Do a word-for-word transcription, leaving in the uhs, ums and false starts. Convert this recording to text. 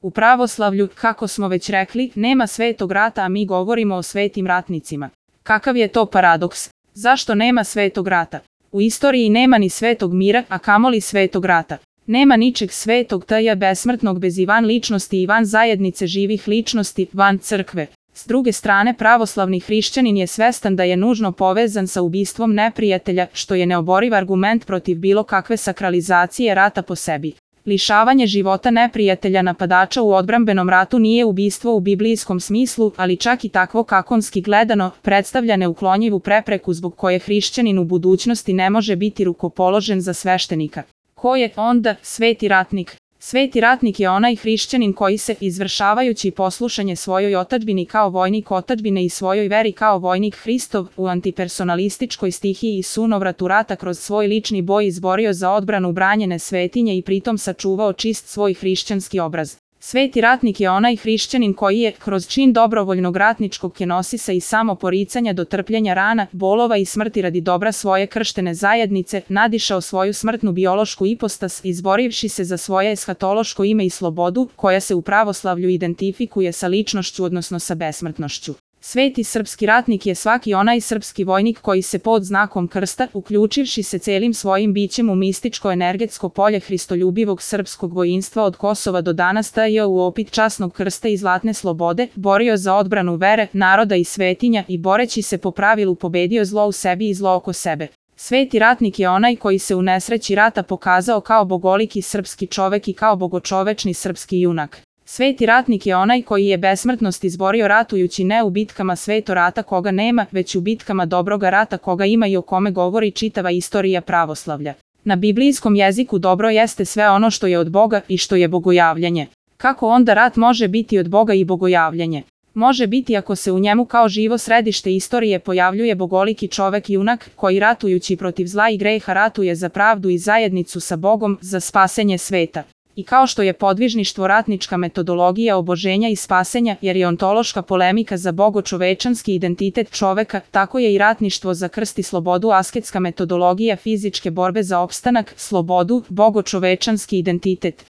U pravoslavlju, kako smo već rekli, nema svetog rata, a mi govorimo o svetim ratnicima. Kakav je to paradoks? Zašto nema svetog rata? U istoriji nema ni svetog mira, a kamoli svetog rata. Nema ničeg svetog t.j. besmrtnog bez i van ličnosti i van zajednice živih ličnosti, van crkve. S druge strane, pravoslavni hrišćanin je svestan da je nužno povezan sa ubistvom neprijatelja, što je neoboriv argument protiv bilo kakve sakralizacije rata po sebi. Lišavanje života neprijatelja napadača u odbrambenom ratu nije ubistvo u biblijskom smislu, ali čak i takvo kakonski gledano, predstavlja neuklonjivu prepreku zbog koje hrišćanin u budućnosti ne može biti rukopoložen za sveštenika. Ko je onda sveti ratnik? Sveti ratnik je onaj hrišćanin koji se, izvršavajući poslušanje svojoj otadžbini kao vojnik otadžbine i svojoj veri kao vojnik Hristov, u antipersonalističkoj stihiji i sunovratu rata kroz svoj lični boj izborio za odbranu branjene svetinje i pritom sačuvao čist svoj hrišćanski obraz. Sveti ratnik je onaj hrišćanin koji je, kroz čin dobrovoljnog ratničkog kenosisa i samoporicanja do trpljenja rana, bolova i smrti radi dobra svoje krštene zajednice, nadišao svoju smrtnu biološku ipostas, izborivši se za svoje eshatološko ime i slobodu, koja se u pravoslavlju identifikuje sa ličnošću odnosno sa besmrtnošću. Sveti srpski ratnik je svaki onaj srpski vojnik koji se pod znakom krsta, uključivši se celim svojim bićem u mističko-energetsko polje hristoljubivog srpskog vojinstva od Kosova do danas stajao u opit časnog krsta i zlatne slobode, borio za odbranu vere, naroda i svetinja i boreći se po pravilu pobedio zlo u sebi i zlo oko sebe. Sveti ratnik je onaj koji se u nesreći rata pokazao kao bogoliki srpski čovek i kao bogočovečni srpski junak. Sveti ratnik je onaj koji je besmrtnost izborio ratujući ne u bitkama sveto rata koga nema, već u bitkama dobroga rata koga ima i o kome govori čitava istorija pravoslavlja. Na biblijskom jeziku dobro jeste sve ono što je od Boga i što je bogojavljanje. Kako onda rat može biti od Boga i bogojavljanje? Može biti ako se u njemu kao živo središte istorije pojavljuje bogoliki čovek junak koji ratujući protiv zla i greha ratuje za pravdu i zajednicu sa Bogom, za spasenje sveta. I kao što je podvižništvo ratnička metodologija oboženja i spasenja, jer je ontološka polemika za bogočovečanski identitet čoveka, tako je i ratništvo za krst i slobodu asketska metodologija fizičke borbe za opstanak, slobodu, bogočovečanski identitet.